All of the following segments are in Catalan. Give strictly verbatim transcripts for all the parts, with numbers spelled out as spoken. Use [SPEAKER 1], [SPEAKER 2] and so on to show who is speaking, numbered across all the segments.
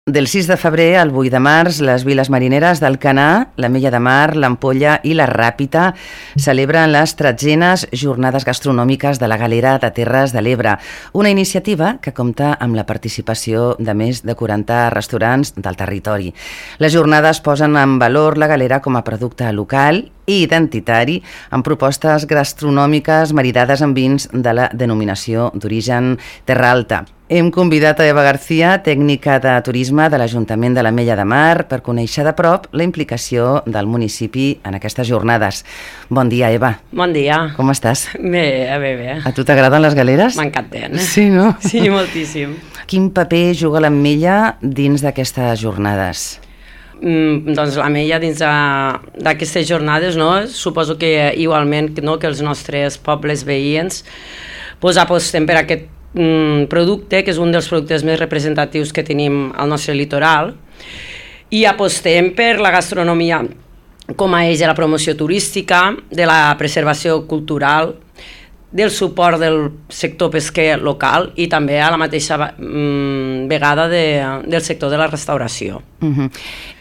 [SPEAKER 1] Del sis de febrer al vuit de març, les viles marineres d'Alcanar, l'Ametlla de Mar, l'Ampolla i la Ràpita celebren les tretzenes jornades gastronòmiques de la Galera de Terres de l'Ebre, una iniciativa que compta amb la participació de més de quaranta restaurants del territori. Les jornades posen en valor la Galera com a producte local i identitari, amb propostes gastronòmiques maridades amb vins de la denominació d'origen Terra Alta. Hem convidat a Eva García, tècnica de turisme de l'Ajuntament de l'Ametlla de Mar, per conèixer de prop la implicació del municipi en aquestes jornades. Bon dia, Eva.
[SPEAKER 2] Bon dia.
[SPEAKER 1] Com estàs?
[SPEAKER 2] Bé, bé, bé.
[SPEAKER 1] A tu t'agraden les galeres?
[SPEAKER 2] M'encanten.
[SPEAKER 1] Sí, no?
[SPEAKER 2] Sí, moltíssim.
[SPEAKER 1] Quin paper juga l'Ametlla dins d'aquestes jornades?
[SPEAKER 2] Mm, doncs l'Ametlla dins d'aquestes jornades, no? Suposo que igualment no, que els nostres pobles veïns pues, apostem per aquest mm, producte, que és un dels productes més representatius que tenim al nostre litoral, i apostem per la gastronomia com a eix de la promoció turística, de la preservació cultural, del suport del sector pesquer local i també a la mateixa mm, vegada de, del sector de la restauració.
[SPEAKER 1] Uh-huh.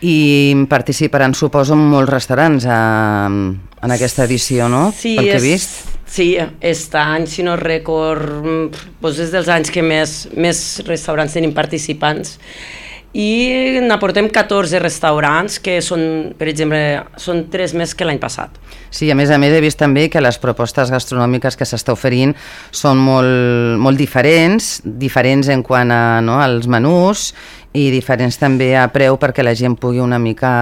[SPEAKER 1] I participaran, suposo, molts restaurants a, en aquesta edició, no?
[SPEAKER 2] Sí,
[SPEAKER 1] pel que he
[SPEAKER 2] és,
[SPEAKER 1] vist.
[SPEAKER 2] Sí, aquest any, si no record, doncs és dels anys que més, més restaurants tenim participants, i n'aportem catorze restaurants que són, per exemple, són tres més que l'any passat.
[SPEAKER 1] Sí, a més a més he vist també que les propostes gastronòmiques que s'està oferint són molt, molt diferents, diferents en quant a, no, als menús i diferents també a preu perquè la gent pugui una mica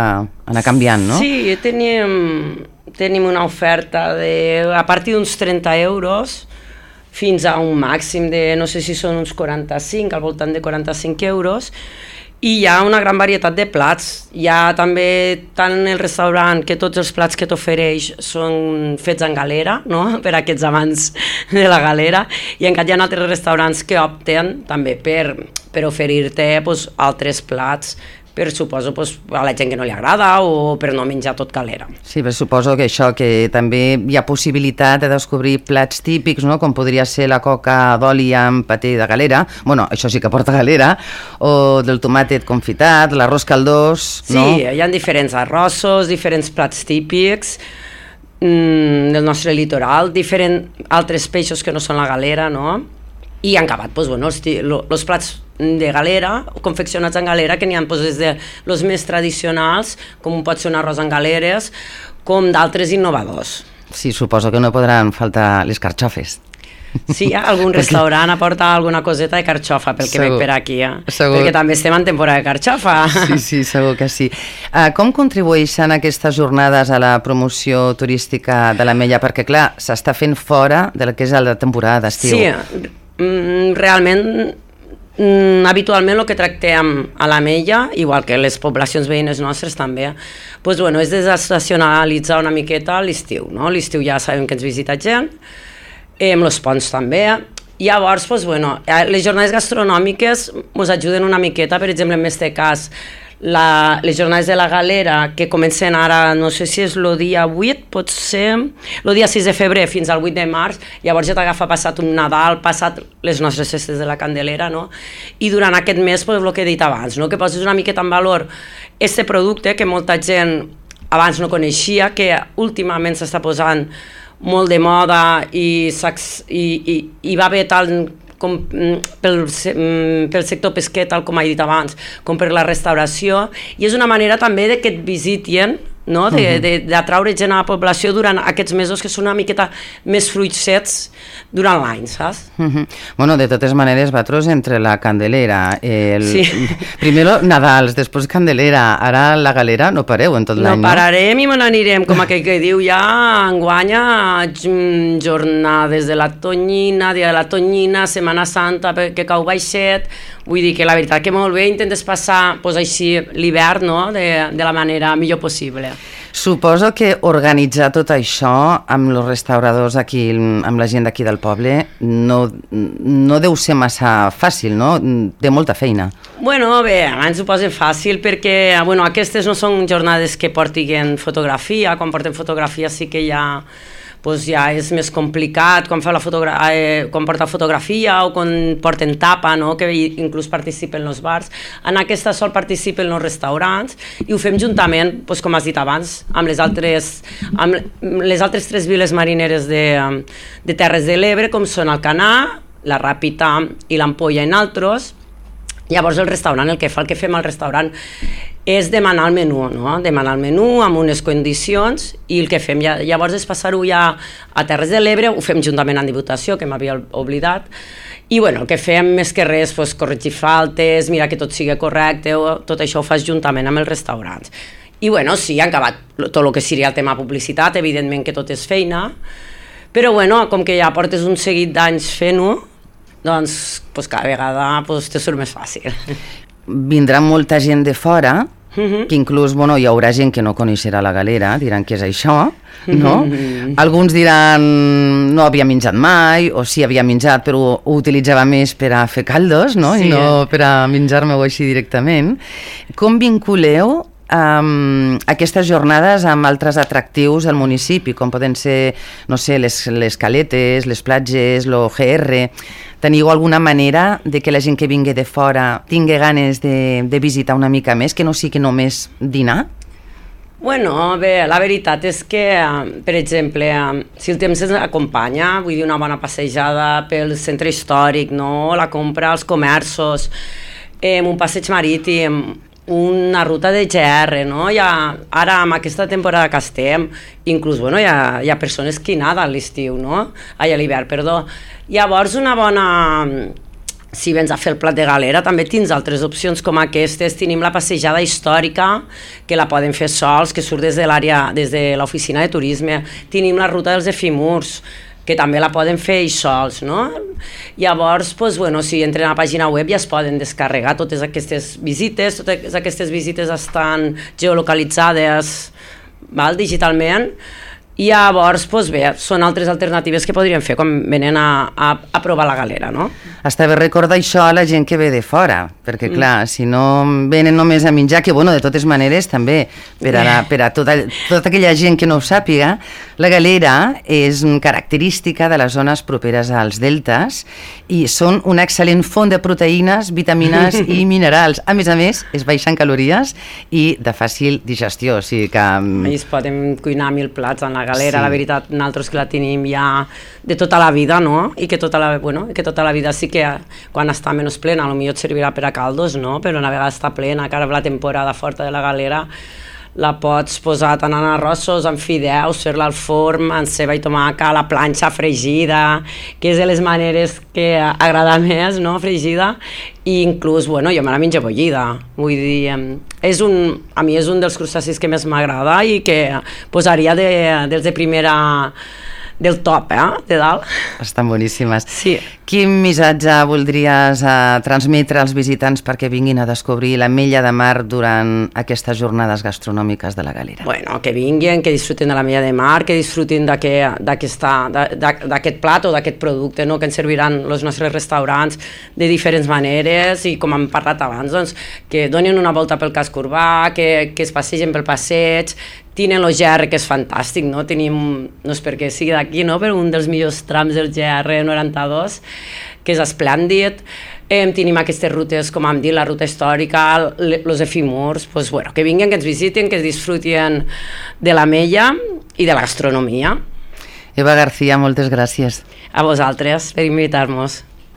[SPEAKER 1] anar canviant, no?
[SPEAKER 2] Sí, tenim, tenim una oferta de, a partir d'uns trenta euros fins a un màxim de, no sé si són uns quaranta-cinc, al voltant de quaranta-cinc euros, i hi ha una gran varietat de plats. Hi ha també, tant en el restaurant, que tots els plats que t'ofereix són fets en galera, no? Per a aquests amants de la galera, i encara hi ha altres restaurants que opten també per, per oferir-te pues, altres plats, per suposo pues, a la gent que no li agrada o per no menjar tot galera.
[SPEAKER 1] Sí, però suposo que això, que també hi ha possibilitat de descobrir plats típics, no? Com podria ser la coca d'oli amb paté de galera, bueno, això sí que porta galera, o del tomàtet confitat, l'arròs caldós, no?
[SPEAKER 2] Sí, hi ha diferents arrossos, diferents plats típics mm, del nostre litoral, diferents altres peixos que no són la galera, no? I han acabat, pues, bueno, els, els plats de galera, confeccionats en galera, que n'hi ha pues, des de los més tradicionals, com pot ser un arròs en galeres, com d'altres innovadors.
[SPEAKER 1] Sí, suposo que no podran faltar les carxofes.
[SPEAKER 2] Sí, algun restaurant aporta alguna coseta de carxofa, pel que veig per aquí, eh? Perquè també estem en temporada de carxofa.
[SPEAKER 1] Sí, sí, segur que sí. Uh, com contribueixen aquestes jornades a la promoció turística de l'Ametlla? Perquè, clar, s'està fent fora del que és la temporada d'estiu.
[SPEAKER 2] Sí, realment, habitualment el que tractem a l'Ametlla, igual que les poblacions veïnes nostres també, doncs, bueno, és desestacionalitzar una miqueta l'estiu, no? L'estiu ja sabem que ens visita gent, amb els ponts també. Llavors, doncs, bueno, les jornades gastronòmiques ens ajuden una miqueta, per exemple, en aquest cas, la, les jornades de la galera, que comencen ara, no sé si és el dia vuit, pot ser el dia sis de febrer fins al vuit de març, llavors ja t'agafa passat un Nadal, passat les nostres festes de la Candelera, no? I durant aquest mes, pues, el que he dit abans, no? Que poses una miqueta en valor aquest producte que molta gent abans no coneixia, que últimament s'està posant molt de moda i, i, i, i va bé tant com pel, pel sector pesquer, tal com he dit abans, com per la restauració, i és una manera també de que et visitin, no? D'atraure gent a la població durant aquests mesos que són una miqueta més fruitets durant l'any, saps?
[SPEAKER 1] Uh -huh. Bueno, de totes maneres, vosaltres entre la Candelera, el...
[SPEAKER 2] sí.
[SPEAKER 1] primer Nadals, després Candelera, ara la galera, no pareu en tot l'any, no?
[SPEAKER 2] No pararem i me n'anirem, com aquell que diu ja, enguanya, jornades de la Tonyina, dia de la Tonyina, Setmana Santa, que cau baixet, vull dir que la veritat que molt bé intentes passar pues, així l'hivern, no? de, de la manera millor possible.
[SPEAKER 1] Suposo que organitzar tot això amb els restauradors aquí, amb la gent d'aquí del poble, no, no deu ser massa fàcil, no? Té molta feina.
[SPEAKER 2] Bueno, bé, ens ho posen fàcil perquè, bueno, aquestes no són jornades que portin fotografia, quan porten fotografia sí que hi ha pues ja és més complicat quan, fa la fotogra eh, quan porta fotografia o quan porten tapa, no? Que inclús participen els bars. En aquesta sol participen els restaurants i ho fem juntament, pues, com has dit abans, amb les altres, amb les altres tres viles marineres de, de Terres de l'Ebre, com són Alcanar, la Ràpita i l'Ampolla i altres. Llavors el restaurant, el que fa el que fem al restaurant és demanar el menú, no? Demanar el menú amb unes condicions i el que fem ja, llavors és passar-ho ja a Terres de l'Ebre, ho fem juntament amb Diputació, que m'havia oblidat, i bueno, el que fem més que res, pues, corregir faltes, mirar que tot sigui correcte, tot això ho fas juntament amb els restaurants. I bueno, sí, han acabat tot el que seria el tema publicitat, evidentment que tot és feina, però bueno, com que ja portes un seguit d'anys fent-ho, doncs pues, cada vegada pues, te surt més fàcil.
[SPEAKER 1] Vindrà molta gent de fora, uh-huh. que inclús bueno, hi haurà gent que no coneixerà la Galera, diran què és això, no? Uh-huh. Alguns diran no havia menjat mai, o sí havia menjat però ho utilitzava més per a fer caldos, no? Sí. I no per a menjar-me-ho així directament. Com vinculeu Um, aquestes jornades amb altres atractius del municipi, com poden ser, no sé, les, les caletes, les platges, l'O G R? Teniu alguna manera de que la gent que vingui de fora tingui ganes de, de visitar una mica més, que no sigui només dinar?
[SPEAKER 2] Bueno, bé, la veritat és que, per exemple, si el temps ens acompanya, vull dir una bona passejada pel centre històric, no? La compra als comerços, eh, un passeig marítim, una ruta de G R, no? Ja, ara, amb aquesta temporada que estem, inclús, bueno, hi ha, hi ha persones que naden a l'estiu, no? Ai, a l'hivern, perdó. Llavors, una bona... Si vens a fer el plat de galera, també tens altres opcions com aquestes. Tenim la passejada històrica, que la poden fer sols, que surt des de l'àrea, des de l'oficina de turisme. Tenim la ruta dels efimurs, que també la poden fer ells sols, no? Llavors, doncs, bueno, si entren a la pàgina web ja es poden descarregar totes aquestes visites, totes aquestes visites estan geolocalitzades, val, digitalment, i llavors, doncs bé, són altres alternatives que podríem fer quan venen a, a, a provar la galera, no?
[SPEAKER 1] Està bé recordar això a la gent que ve de fora, perquè clar, mm. si no venen només a menjar, que bueno, de totes maneres també, per a, la, per a tota, tota aquella gent que no ho sàpiga, la galera és característica de les zones properes als deltes i són una excel·lent font de proteïnes, vitamines i minerals. A més a més, és baixa en calories i de fàcil digestió, o sigui que...
[SPEAKER 2] Allí es poden cuinar mil plats en la galera, sí. La veritat, nosaltres que la tenim ja de tota la vida, no? I que tota la, bueno, que tota la vida sí que quan està menys plena, potser et servirà per a caldos, no? Però una vegada està plena, que ara la temporada forta de la galera, la pots posar tant en arrossos, en fideus, fer-la al forn, en ceba i tomaca, a la planxa fregida, que és de les maneres que agrada més, no? Fregida, i inclús, bueno, jo me la menjo bullida, vull dir, és un, a mi és un dels crustacis que més m'agrada i que posaria de, dels de primera... del top, eh? De dalt.
[SPEAKER 1] Estan boníssimes.
[SPEAKER 2] Sí.
[SPEAKER 1] Quin missatge voldries eh, transmetre als visitants perquè vinguin a descobrir l'Ametlla de Mar durant aquestes jornades gastronòmiques de la Galera?
[SPEAKER 2] Bueno, que vinguin, que disfruten de l'Ametlla de Mar, que disfrutin d'aquest plat o d'aquest producte, no? Que ens serviran els nostres restaurants de diferents maneres i, com hem parlat abans, doncs, que donin una volta pel casc urbà, que, que es passegen pel passeig. Tenen el G R, que és fantàstic, no? Tenim, no és perquè sigui d'aquí, no? Però un dels millors trams del G R noranta-dos, que és esplèndid. Eh, tenim aquestes rutes, com hem dit, la ruta històrica, els efimurs, pues, bueno, que vinguin, que ens visitin, que es disfrutin de l'Ametlla i de la gastronomia.
[SPEAKER 1] Eva García, moltes gràcies.
[SPEAKER 2] A vosaltres per invitar-nos.